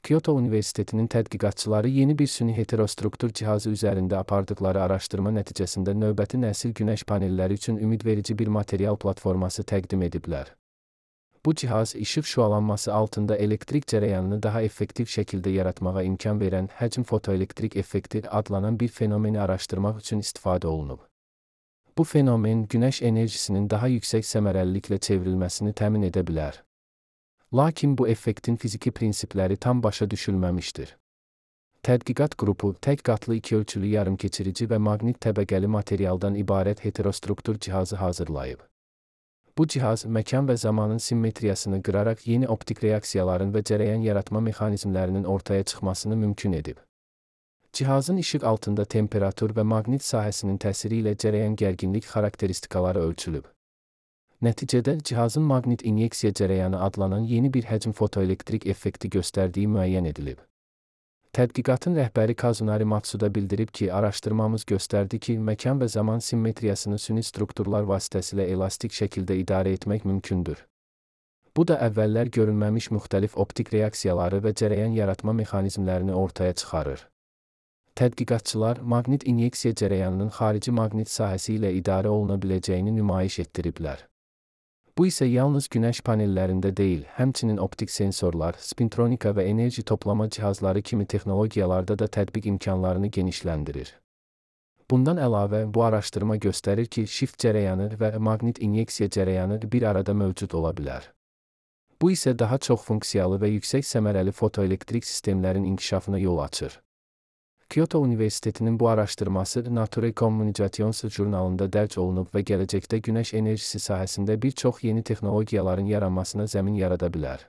Kyoto Universitetinin tədqiqatçıları yeni bir süni heterostruktur cihazı üzərində apardıqları araşdırma nəticəsində növbəti nəsil günəş panelləri üçün ümidverici bir material platforması təqdim ediblər. Bu cihaz işıq şüalanması altında elektrik cərəyanını daha effektiv şəkildə yaratmağa imkan verən həcm fotoelektrik effekti adlanan bir fenomeni araşdırmaq üçün istifadə olunub. Bu fenomen günəş enerjisinin daha yüksək səmərəliliklə çevrilməsini təmin edə bilər. Lakin bu effektin fiziki prinsipləri tam başa düşülməmişdir. Tədqiqat qrupu tək qatlı ikiölçülü yarımkeçirici və maqnit təbəqəli materialdan ibarət heterostruktur cihazı hazırlayıb. Bu cihaz məkan və zamanın simmetriyasını qıraraq yeni optik reaksiyaların və cərəyan yaratma mexanizmlərinin ortaya çıxmasını mümkün edib. Cihazın işıq altında temperatur və maqnit sahəsinin təsiri ilə cərəyan gərginlik xarakteristikaları ölçülüb. Nəticədə cihazın maqnit inyeksiya cərəyanı adlanan yeni bir həcm fotoelektrik effekti göstərdiyi müəyyən edilib. Tədqiqatın rəhbəri Kazunari Matsuda bildirib ki, araşdırmamız göstərdi ki, məkan və zaman simmetriyasını süni strukturlar vasitəsilə elastik şəkildə idarə etmək mümkündür. Bu da əvvəllər görünməmiş müxtəlif optik reaksiyaları və cərəyan yaratma mexanizmlərini ortaya çıxarır. Tədqiqatçılar maqnit inyeksiya cərəyanının xarici maqnit sahəsi ilə idarə oluna biləcəyini nümayiş etdiriblər. Bu isə yalnız günəş panellərində deyil, həmçinin optik sensorlar, spintronika və enerji toplama cihazları kimi texnologiyalarda da tətbiq imkanlarını genişləndirir. Bundan əlavə, bu araşdırma göstərir ki, shift cərəyanı və maqnit inyeksiya cərəyanı bir arada mövcud ola bilər. Bu isə daha çox funksiyalı və yüksək səmərəli fotoelektrik sistemlərin inkişafına yol açır. Kyoto Universitetinin bu araşdırması Nature Communications jurnalında dərc olunub və gələcəkdə günəş enerjisi sahəsində bir çox yeni texnologiyaların yaranmasına zəmin yarada bilər.